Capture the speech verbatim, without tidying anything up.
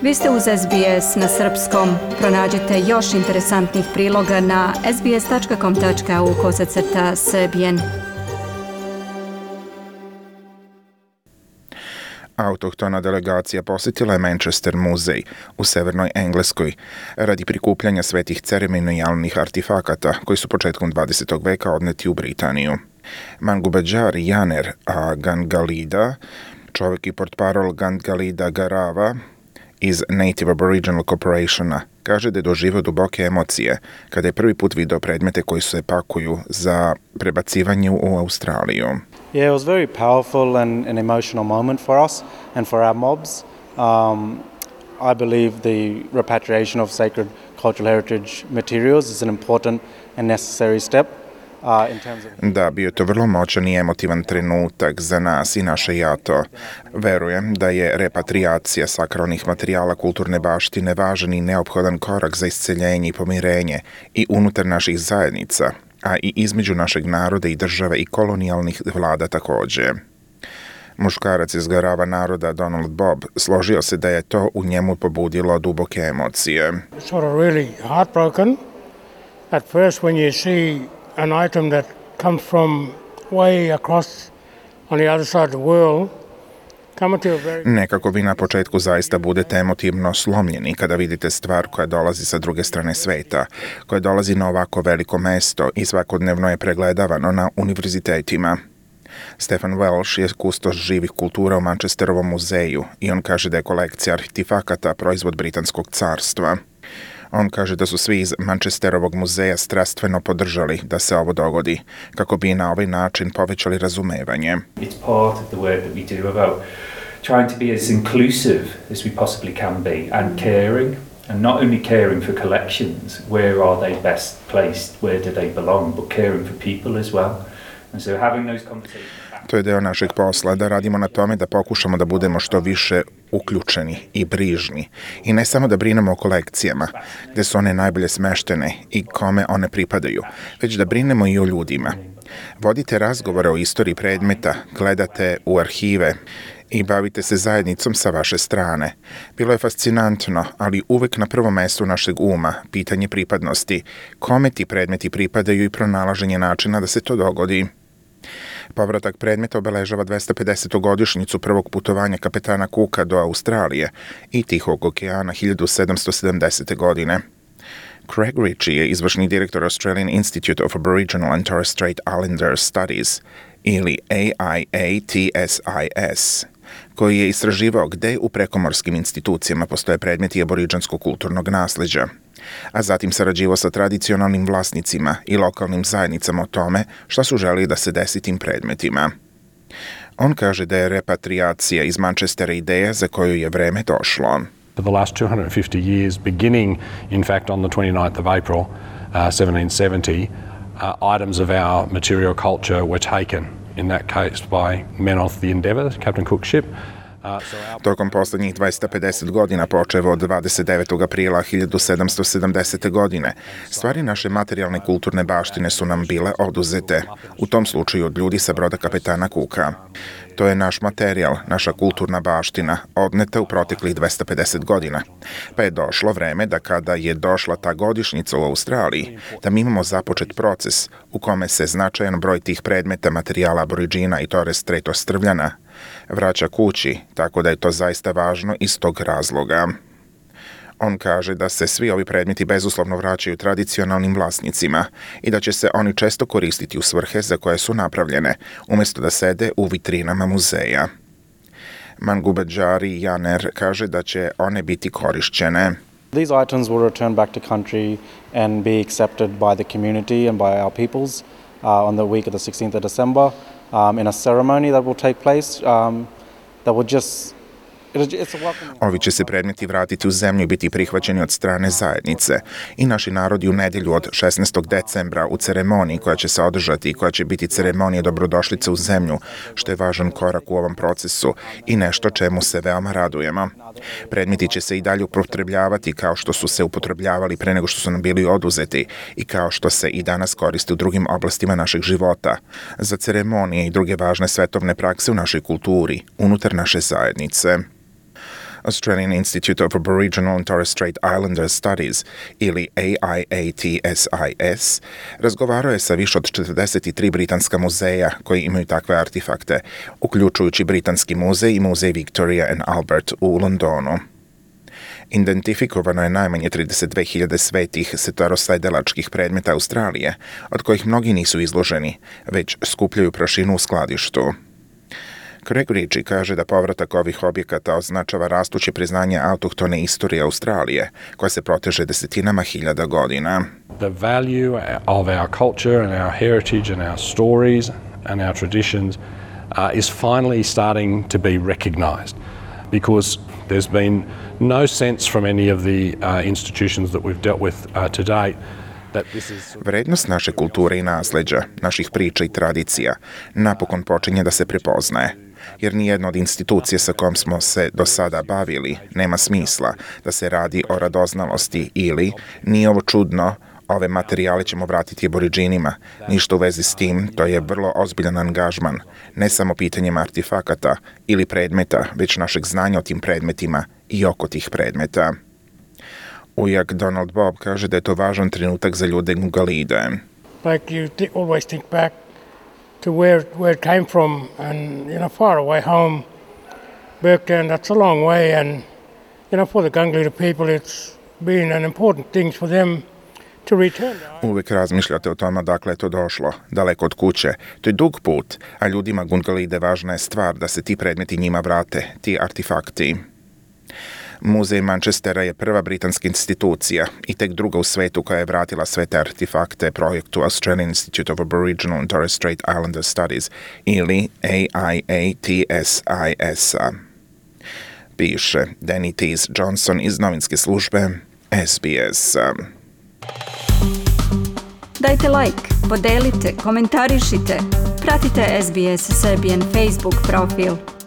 Vi ste uz S B S na srpskom. Pronađite još interesantnih priloga na sbs tačka com tačka au kosacrta srbijen. Autohtona delegacija posjetila je Manchester muzej u severnoj Engleskoj radi prikupljanja svetih ceremonijalnih artefakata koji su početkom dvadesetog veka odneti u Britaniju. Mangubadžar Janer a Gangalida, čovjek i portparol Gangalida Garava iz Native Aboriginal Corporationa, kaže da je doživio duboke emocije kada je prvi put video predmete koji se pakuju za prebacivanje u Australiju. Yeah, it was very powerful and an emotional moment for us and for our mobs. Um, I believe the repatriation of sacred cultural heritage materials is an important and necessary step. Uh, in terms of... Da, bio je to vrlo moćan i emotivan trenutak za nas i naše jato. Verujem da je repatriacija sakralnih materijala kulturne baštine važan i neophodan korak za isceljenje i pomirenje i unutar naših zajednica, a i između našeg naroda i države i kolonijalnih vlada također. Muškarac iz Garava naroda Donald Bob složio se da je to u njemu pobudilo duboke emocije. Sort of really heartbroken at first when you see an item that comes from way across on the other side of the world. Nekako vi na početku zaista budete emotivno slomljeni kada vidite stvar koja dolazi sa druge strane sveta, koja dolazi na ovako veliko mesto i svakodnevno je pregledavano na univerzitetima. Stefan Welsh je kustos živih kultura u Manchesterovom muzeju i on kaže da je kolekcija artefakata proizvod Britanskog carstva. On kaže da su svi iz Manchesterovog muzeja strastveno podržali da se ovo dogodi, kako bi na ovaj način povećali razumevanje. It's part of the work that we do about trying to be as inclusive as we possibly can be and caring, and not only caring for collections, where are they best placed, where do they belong, but caring for people as well. And so having those conversations. To je deo našeg posla, da radimo na tome da pokušamo da budemo što više uključeni i brižni. I ne samo da brinemo o kolekcijama, gde su one najbolje smeštene i kome one pripadaju, već da brinemo i o ljudima. Vodite razgovore o istoriji predmeta, gledate u arhive i bavite se zajednicom sa vaše strane. Bilo je fascinantno, ali uvek na prvom mestu našeg uma pitanje pripadnosti, kome ti predmeti pripadaju i pronalaženje načina da se to dogodi. Povratak predmeta obeležava dvesta pedesetu godišnjicu prvog putovanja kapetana Cooka do Australije i Tihog okeana hiljadu sedamsto sedamdesete. godine. Craig Ritchie je izvršni direktor Australian Institute of Aboriginal and Torres Strait Islander Studies ili A I A T S I S, koji je istraživao gde u prekomorskim institucijama postoje predmeti aboriđanskog kulturnog nasleđa, a zatim sarađivao sa tradicionalnim vlasnicima i lokalnim zajednicama o tome šta su želeli da se desi tim predmetima. On kaže da je repatriacija iz Manchestera ideja za koju je vreme došlo. For the last two hundred fifty years, beginning in fact on the twenty-ninth of April, uh, seventeen seventy, uh, items of our material culture were taken, in that case by men of the Endeavour, Captain Cook's ship. Tokom poslednjih dvesta pedeset godina, počev od dvadeset devetog aprila hiljadu sedamsto sedamdesete. godine, stvari naše materijalne kulturne baštine su nam bile oduzete, u tom slučaju od ljudi sa broda kapetana Cooka. To je naš materijal, naša kulturna baština, odneta u proteklih dvesta pedeset godina. Pa je došlo vreme da kada je došla ta godišnjica u Australiji, da mi imamo započet proces u kome se značajan broj tih predmeta materijala Aboriđina i Torres Strait Ostrvljana vraća kući, tako da je to zaista važno iz tog razloga. On kaže da se svi ovi predmeti bezuslovno vraćaju tradicionalnim vlasnicima i da će se oni često koristiti u svrhe za koje su napravljene, umjesto da sede u vitrinama muzeja. Mangubadžari Janer kaže da će one biti korišćene. These items will return back to country and be accepted by the community and by our peoples uh, on the week of the sixteenth of December um, in a ceremony that will take place um, that will just Ovi će se predmeti vratiti u zemlju i biti prihvaćeni od strane zajednice i naši narodi u nedjelju od šesnaestog decembra u ceremoniji koja će se održati i koja će biti ceremonija dobrodošlice u zemlju, što je važan korak u ovom procesu i nešto čemu se veoma radujemo. Predmeti će se i dalje upotrebljavati kao što su se upotrebljavali pre nego što su nam bili oduzeti i kao što se i danas koriste u drugim oblastima našeg života, za ceremonije i druge važne svetovne prakse u našoj kulturi, unutar naše zajednice. Australian Institute of Aboriginal and Torres Strait Islander Studies ili A I A T S I S razgovarao je sa više od četrdeset tri britanska muzeja koji imaju takve artefakte, uključujući Britanski muzej i muzej Victoria and Albert u Londonu. Identifikovano je najmanje trideset dve hiljade svetih starosedelačkih predmeta Australije, od kojih mnogi nisu izloženi, već skupljaju prašinu u skladištu. Craig Ritchie kaže da povratak ovih objekata označava rastuće priznanje autohtone istorije Australije, koja se proteže desetinama hiljada godina. The value of our culture and our heritage and our stories and our traditions uh, is finally starting to be recognised, because there's been no sense from any of the uh, institutions that we've dealt with uh, to date that this is... Vrednost naše kulture i nasleđa, naših priča i tradicija, napokon počinje da se prepoznaje, jer nijedna od institucija sa kojom smo se do sada bavili nema smisla da se radi o radoznalosti ili, nije ovo čudno, ove materijale ćemo vratiti aboriđinima. Ništa u vezi s tim, to je vrlo ozbiljan angažman, ne samo pitanjem artefakata ili predmeta, već našeg znanja o tim predmetima i oko tih predmeta. Ujak Donald Bob kaže da je to važan trenutak za ljude Ngugalide. Like you th- always think back to where where it came from, and you know, far away home, Burkdown, that's a long way, and you know, for the Gungalida people, it's been an important thing for them to return. Uvijek razmišljate o tome dakle je to došlo, daleko od kuće. To je dug put, a ljudima Gungalide važna je stvar da se ti predmeti njima vrate, ti artefakti. Muzej Manchestera je prva britanska institucija i tek druga u svetu koja je vratila sve te artefakte projektu Australian Institute of Aboriginal and Torres Strait Islander Studies ili A I A T S I S-a. Piše Danny Tees Johnson iz novinske službe S B S-a. Dajte like, podelite, komentarišite, pratite S B S Serbian Facebook profil.